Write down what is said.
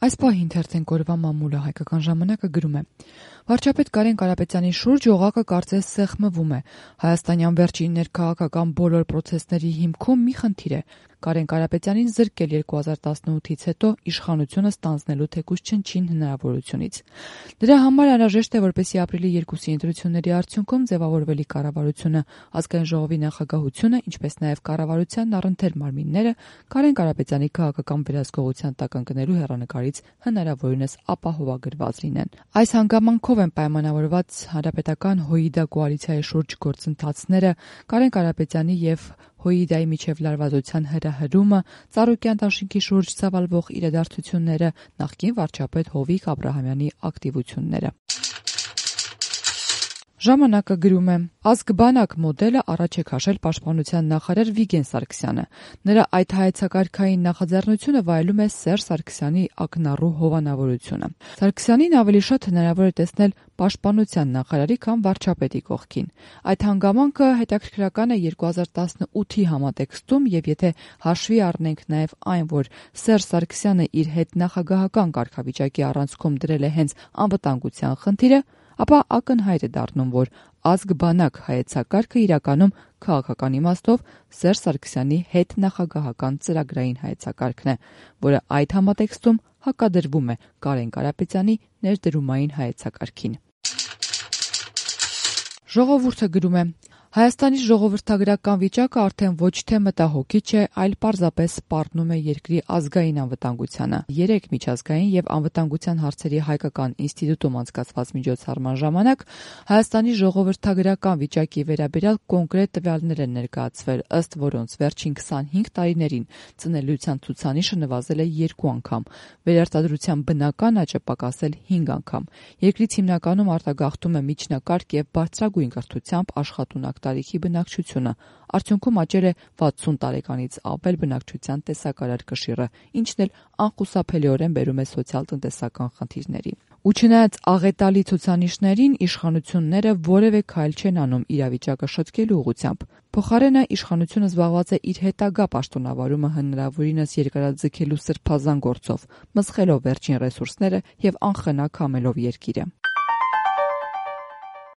Այս պահին թերթենք օրվա մամուլը հայկական ժամանակը գրում է. Վարչապետ Կարեն Կարապետյանի շուրջ օղակը կարծես սեղմվում է։ Հայաստանյան վերջին ներքաղաքական բոլոր պրոցեսների հիմքում մի խնդիր է՝ Կարեն Կարապետյանին զրկել 2018-ից հետո իշխանությունը ստանձնելու թեկուզ չնչին հնարավորությունից։ Դրա համար անհրաժեշտ է, որպեսզի ապրիլի 2-ի ընտրությունների արդյունքում ձևավորվելի կառավարությունը, Ազգային ժողովի նախագահությունը, ինչպես նաև կառավարությանն առընթեր մարմինները Կարեն Կարապետյանի քաղաքական վերահսկողության տակ ընկնելու հեռանկարից հնարավորինս ապահովագրված լինեն։ Այս հանգամանքով են պայմանավորված հանրապետական ՀՅԴ կոալիցիայի շուրջ գործընթացները, Կարեն Կարապետյանի եւ ՀՅԴ-ի միջև լարվածության հրահրումը, Ծառուկյան դաշինքի շուրջ ծավալվող իրադարձությունները, նախկին վարչապետ Հովիկ Աբրահամյանի ակտիվությունները։ Ժամանակը գրում է. Ազգ-բանակ մոդելը առաջ է քաշել պաշտպանության նախարար Վիգեն Սարգսյանը։ Նրա այդ հայեցակարգային նախաձեռնությունը վայելում է Սերժ Սարգսյանի ակնառու հովանավորությունը։ Սարգսյանին ավելի շատ հնարավոր է տեսնել պաշտպանության նախարարի, քան վարչապետի կողքին։ Այդ հանգամանքը հետաքրքրական է 2018-ի համատեքստում, եւ եթե հաշվի առնենք նաև այն, որ Սերժ Սարգսյանը իր հետ նախագահական կարգավիճակի առանցքում դրել է հենց անվտանգության խնդիրը, ապա ակնհայտ է դառնում, որ ազգ-բանակ հայեցակարգը իրականում քաղաքական իմաստով Սերժ Սարգսյանի հետ նախագահական ծրագրային հայեցակարգն է, որը այդ համատեքստում հակադրվում է Կարեն Կարապետյանի ներդրումային հայեցակարգին։ Ժողովուրդը գրում է. Հայաստանի ժողովրդագրական վիճակը արդեն ոչ թե մտահոգիչ է, այլ պարզապես սպառնում է երկրի ազգային անվտանգությանը։ Երեկ միջազգային եւ անվտանգության հարցերի հայկական ինստիտուտում անցկացված միջոցառման ժամանակ Հայաստանի ժողովրդագրական վիճակի վերաբերյալ կոնկրետ տվյալներ են ներկայացվել, ըստ որոնց վերջին 25 տարիներին ծնելիության ցուցանիշը նվազել է 2 անգամ, վերարտադրության բնական աճը պակասել 5 անգամ։ Երկրից հիմնականում արտագաղթում է միջնակարգ եւ բարձրագույն կրթությամբ աշխատունակ տարիքի բնակչությունը, արդյունքում աճել է 60 տարեկանից ավել բնակչության տեսակարար կշիռը, ինչն էլ անխուսափելիորեն բերում է սոցիալ-տնտեսական խնդիրների։ Ու չնայած աղետալի ցուցանիշներին, իշխանությունները որևէ քայլ չեն անում իրավիճակը շտկելու ուղղությամբ։ Փոխարենը իշխանությունը զբաղված է իր հետագա պաշտոնավարումը հնարավորինս երկարաձգելու սրբազան գործով, մսխելով վերջին ռեսուրսները եւ անխնա քամելով երկիրը։